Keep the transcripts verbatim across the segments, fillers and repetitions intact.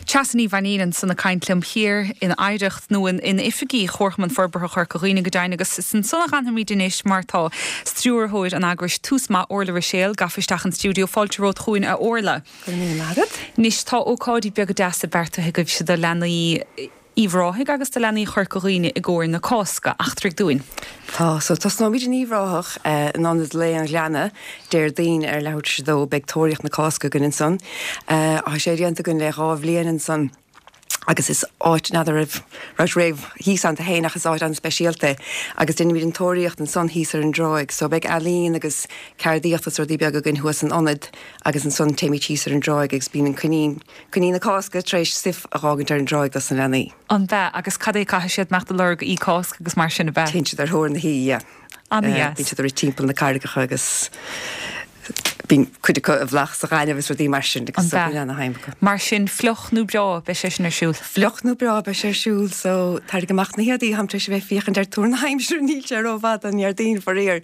Treasa Ní Mhainín ansan ag caint liom thiar in Oidhreacht nó in, in oifigí Chomharchumann Forbartha Chorca Dhuibhne go deimhin agus is ansan a fhanfaimid anois mar tá stiúrthóir an eagrais Tús Maith Orla Ruiséal gafa isteach an stiúideo fáilte romhat chugainn a Orla. Anois tá ócáidí beaga deasa beartaithe agaibhse do leanaí Uíbh Ráthaigh agus do leanaí Chorca Dhuibhne i gcomhair na Cásca eachtraigh dúinn. Tá so tosnóimid in Uíbh Ráthach in Ionad Lae an Ghleanna Déardaoin ar leathuair tar éis a dó beidh tóraíocht na Cásca againn ansan. Tá sé déanta againn le dhá bhliain ansan. agus is áit n'fheadar raibh raibh réamh thíos ann féin ach is áit an-speisialta agus déanaimid an tóraíocht ansan thíos ar an dtráigh, so beidh ealaín agus ceardaíocht is rudaí beaga againn thuas san ionad agus ansan téimid thíos ar an dtráigh agus bíonn an coinín coinín na Cásca tar éis stuif a dh'fhágaint ar an dtráigh dos na leanaí. An b'ea agus cad é caithfidh siad imeacht ag lorg Oí Cásca agus mar sin ab ea? Téann siad ar thóir na hOí, yeah. An-dheas. Bíonn siad ag rith timpeall na carraigeacha agus bíonn cuid acu i bhflach sa ghaineamh is rudaí mar sin agus An b'ea? bíonn ana-shuim acu. Mar sin fliuch nó breá beidh sé sin ar siúl. Fliuch nó breá beidh sé ar siúl so tarraing amach na héadaí táim tar éis a bheith ag féachaint ar tuar na haimsire níl sé rófhada an Déardaoin faraor.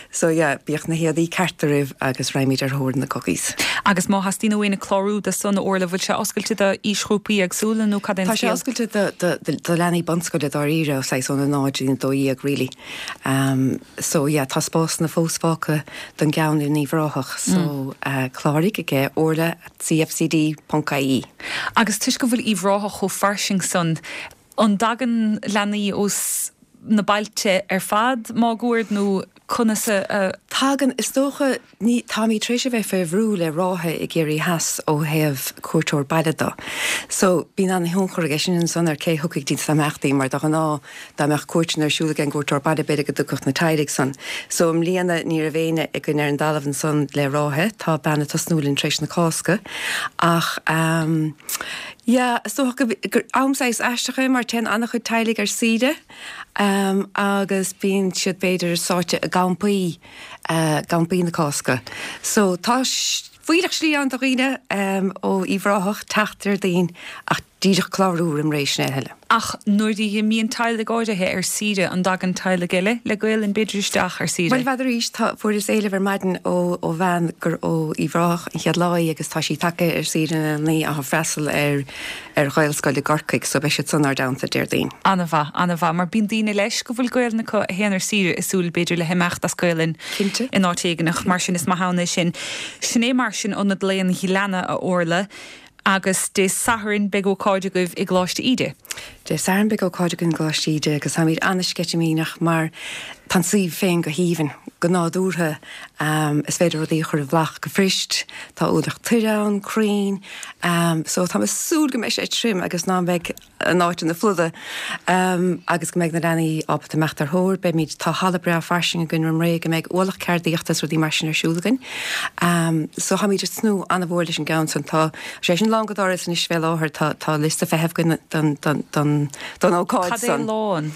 So yeah, bíodh na héadaí cearta romhaibh agus raghaimid ar thóir na cookies. Agus má theastaíonn ó éinne clárú do san Orla bhfuil sé oscailte do aoisghrúpaí éagsúla nó cad é an Tá sé scéal? oscailte do, do, do, do leanaí bunscoile dáiríre ó saghas óna náid go dtí a dó dhéag really. Um, so yeah, tá spásanna fós fágtha don gceann in Uíbh Ráthach so uh, cláraigh ag orla at cfcd.ie. Agus toisc go bhfuil Uíbh Ráthach chomh fairsing san an dtagann leanaí ós na bailte ar fad máguaird nó conas a a- Tagann is dócha ní táimid tar éis a bheith fé bhrú le ráithe i gCiarraí Theas ó thaobh cuairteoir baile de. So bíonn an-tionchar aige sin ansan ar cé thiocfaidh dtí na himeachtaí mar de ghnáth dá mbeadh cuairteanna ar siúl ag an gcuairteoir baile b'fhéidir go dtiocfadh na teaghlaigh san. So i mbliana ní raibh éinne againn ar an dtalamh ansan le ráithe, tá bean ag tosnú linn tar éis na Cásca ach um, yeah, is dócha go gur am saghas aisteach é mar téann an-chuid teaghlaigh ar saoire um, agus bíonn siad b'fhéidir sáite i gcampaí uh, campaí na Cásca. So tá fuílleach slí ann do dhaoine um, ó Uíbh Ráthach teacht Déardaoin ach díreach clárú roimh ré sin eile. Ach nuair a mbíonn teaghlaigh áirithe ar saoire an dtagann teaghlaigh eile le Gaelainn b'fhéidir isteach ar saoire. Well bhfeadar arís tá fuaireas éileamh ar maidin ó ó bhean gur ó Uíbh Ráthach an chéad lá í agus tá sí tagtha ar saoire na naí a freastal ar ar Ghaelscoil i gCorcaigh, so beidh siad san ár dteannta Déardaoin. An-mhaith an-mhaith, mar bíonn daoine leis go bhfuil Gaelainn acu a théann ar saoire ag súil b'fhéidir le himeacht as Gaelainn Cinnte. in áit éigineach mar sin is maith ann é sin. Sin é mar sin Ionad Lae an Ghleanna a Orla agus Dé Sathairn beidh ócáid agaibh i gColáiste Íde. Dé Sathairn beidh ócáid againn i gColáiste Íde agus táimid an-sceitimíneach mar tá an suíomh féin go haoibhinn go nádúrtha um, is féidir rudaí a chur i bhflach go fuirist, tá ualach toir ann, crainn, um, so tá mé ag súil go mbeidh sé tirim agus ná beidh an áit ina floda um, agus go mbeidh na leanaí ábalta imeacht ar thóir, beimid tá halla breá fairsing againn roimh ré go mbeidh ualach ceardaíochta is rudaí mar sin ar siúl againn. Um, so táimid ag tnúth an-mhór leis an gceann san tá sé sin lán go doras anois fé láthair tá tá liosta feithimh againn don don don don ócáid Cad é san. lán.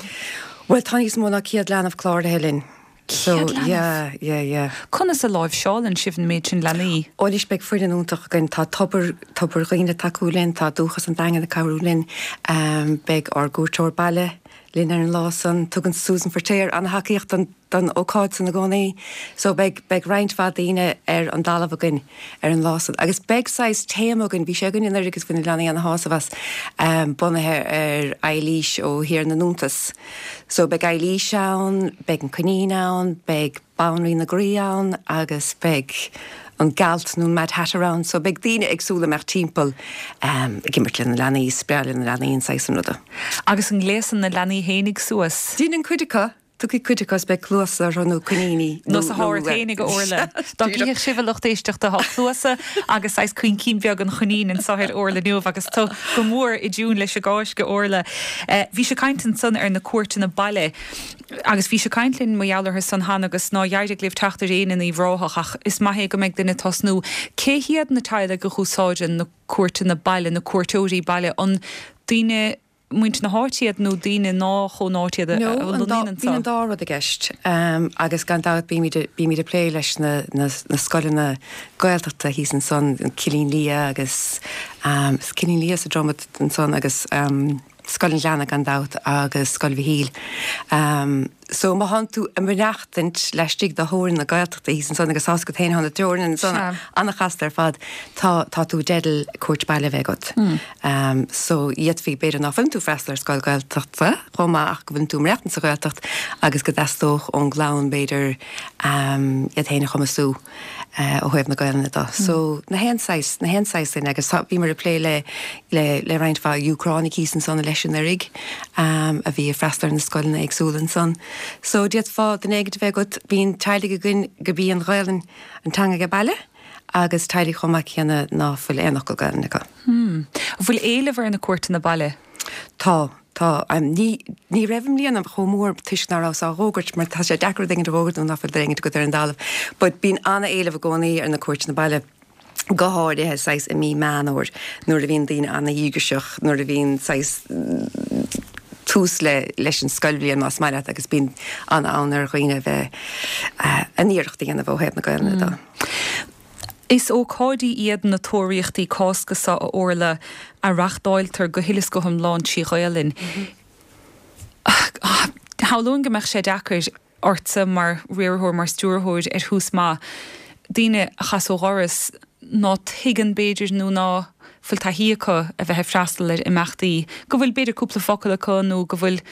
Well tá níos mó ná céad leanbh cláraithe linn. So Céad leanbh? yeah, yeah, yeah. Conas a láimhseálann sibh an méid sin leanaí? Anois beidh foireann iontach againn tá tobar tobar dhaoine tacú linn, tá Dúchas an Daingin ag cabhrú linn, um, beidh ár gcuairteoir baile linn ar an lá san, tugann Susan Feirtéar an-tacaíocht don don ócáid san i gcónaí. So beidh beidh roinnt mhaith daoine ar an dtalamh againn ar an lá san. Agus beidh saghas téama againn, bhí sé againn anuraidh agus bhain na leanaí ana-shásamh as um, bunaithe ar Eilís ó Thír na nIontas. So beidh Eilís ann, beidh an coinín ann, beidh Banríon na Graí ann agus beidh an gealt nó an Mad Hatter ann, so beidh daoine éagsúla imeacht timpeall um, ag imirt le na leanaí, spraoi le na leanaí an saghas an ruda. Agus an gléasann na leanaí fhéinig suas. Déanann cuid acu, tucaí cuid acu beidh cluasa nó coiníní Nó sa háir féinig a Orla. Dá gcífeadh sibh a lucht éisteachta tá cluasa agus saghas coincín beag an choinín anseo ar Orla inniu agus tú go mór i dtiún leis an gCáisc a Orla. Eh, Bhí sé caint ansan ar na cuairteanna baile agus bhí sé caint linn mar gheall orthu san cheana agus ná d'éirigh libh teacht ar éinne in Uíbh Ráthach ach is maith é go mbeidh duine tosnú. Cé hiad na teaghlaigh a úsáideann na cuairteanna baile, na cuairteoirí baile an daoine muintir na háite iad nó daoine nach ón áit iad a No, an dá- lonnaíonn bíonn an dá rud i gceist um, agus gan dabht bímid bímid ag plé leis na, na, na scoileanna Gaeltachta thíos ansan an Cillín Liath agus um, is Cillín Liath sa Dromad ansan agus um, Scoil an Ghleanna gan dabht agus Scoil Mhichíl. Um, So má thánn tú ag maireachtaint laistigh de theorainn na Gaeltachta thíos ansan agus tá's agat féin thá na teorainn ansan an-chasta ar fad, tá tá tú i dteideal cuairt baile a bheith agat. So d'fhéadfaí b'fhéidir ná fuileann tú ag freastal ar scoil Gaeltachta chomh maith ach go bhfuileann tú ag maireachtaint sa Ghaeltacht agus go dteastódh ón gclann b'fhéidir iad féin a chumasú ó thaobh na Gaelainne de. So na haon saghas, na haon saghas duine agus tá, bhíomar ag plé le, le, le roinnt mhaith Úcránaigh thíos ansan leis anuraidh a bhí ag freastal ar na scoileanna éagsúla ansan. So d'fhéadfá duine éigint a bheith agat, bíonn teaghlaigh againn gurb í an Ghaelainn an teanga age baile agus teaghlaigh chomh maith céanna ná fuil aon fhocal Gaelainne acu. Hmm. An bhfuil éileamh ar na cuairteanna baile? Tá. Tá. Ní, ní raibh i mbliana chomh mór toisc ná rabhas á dh'fhógairt mar tá sé deacair rud éigint a dh'fhógairt nuair ná fuil rud éigint agat ar an dtalamh. But bíonn ana-éileamh i gcónaí ar na cuairteanna baile, go háirithe saghas i mí Meán Fhómhair nuair a bhíonn daoine ana-dhíograiseach, nuair a bhíonn saghas tús le leis an scoilbhliain más maith leat agus bíonn an-fhonn ar dhaoine a bheith a n-iarracht a dhéanamh ó thaobh na Gaelainne de. Is ócáidí iad na Tóraíochtaí Cásca seo a Orla a reachtáiltear go huile is go hiomlán trí Ghaelainn. Shamhlóinn go mbeadh sé deacair ortsa mar riarthóir, mar stiúrthóir ar thús maith, daoine a chas ó dhoras ná tuigeann b'fhéidir nó ná fuil taithí acu a bheith ag freastal ar imeachtaí, go bhfuil b'fhéidir cúpla focal acu nó go bhfuil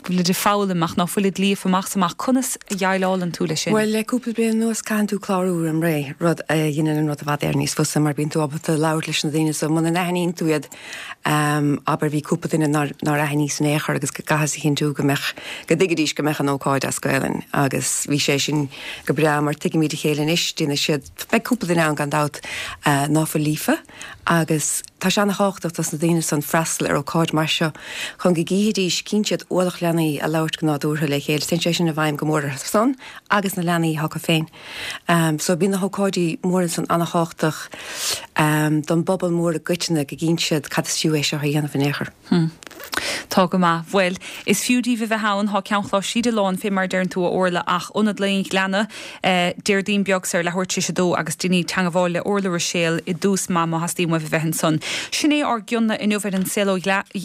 go bhfuilid ag foghlaim ach ná fuilid líofa amach is amach. Conas a dhéileálann tú leis sin? Bhuel, le cúpla bliain anuas caitheann tú clárú roim ré, rud a dheineann an rud i bhfad Éireann níos fusa mar bíonn tú ábalta labhairt leis na daoine so muna n-aithníonn tú iad, abair bhí cúpla duine nár nár aithníos in aon chor agus go gcaitheas a chinntiú go mbeadh, go dtuigfidís go mbeadh an ócáid as Gaelainn agus bhí sé sin go breá mar tuigimid a chéile anois, déanfaidh siad, beidh cúpla duine ann gan dabht ná fuil líofa agus tá sé ana-thábhachtach dos na daoine san freastal ar ócáid mar seo chun go gcífidís, cíonn siad ualach leanaí ag labhairt go nádúrtha le chéile, téann sé sin i bhfeidhm go mór orthu san agus na leanaí acu féin. So bíonn na hócáidí móra san ana-thábhachtach don bpobal mór i gcoitinne go gcíonn siad cad is fiú é seo a dhéanamh in aon chor. Tá go maith. Bhuel, is fiú daoibh a bheith ann. Thá Ceann Chláir Síde lán, fé mar a deireann tú, a Orla, ach Ionad Lae an Ghleanna, Déardaoin beag so ar leathuair tar éis a dó agus déanaigí teangabháil le Orla Ruiséal i dtús maith má theastaíonn uaibh a bheith ansan. Sin é ár gcion inniu ar an Saol ó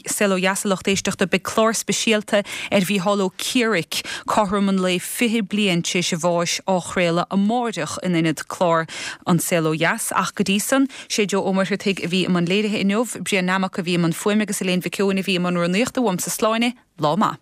Saol ó Dheas, a lucht éisteachta. Beidh clár speisialta ar Mhícheál Ó Ciaraic, cothrom an lae fiche bliain tar éis a bháis, á chraoladh amáireach in ionad clár An Saol Ó Dheas. Ach go dtí san, sé Joe Ó Muircheartaigh a bhí i mbun léirithe inniu, Brian Nammock a bhí i mbun fuaime agus Elaine Mhic Eoin a bhí i mbun rúnaíochta. Uaimse slán é, lá maith.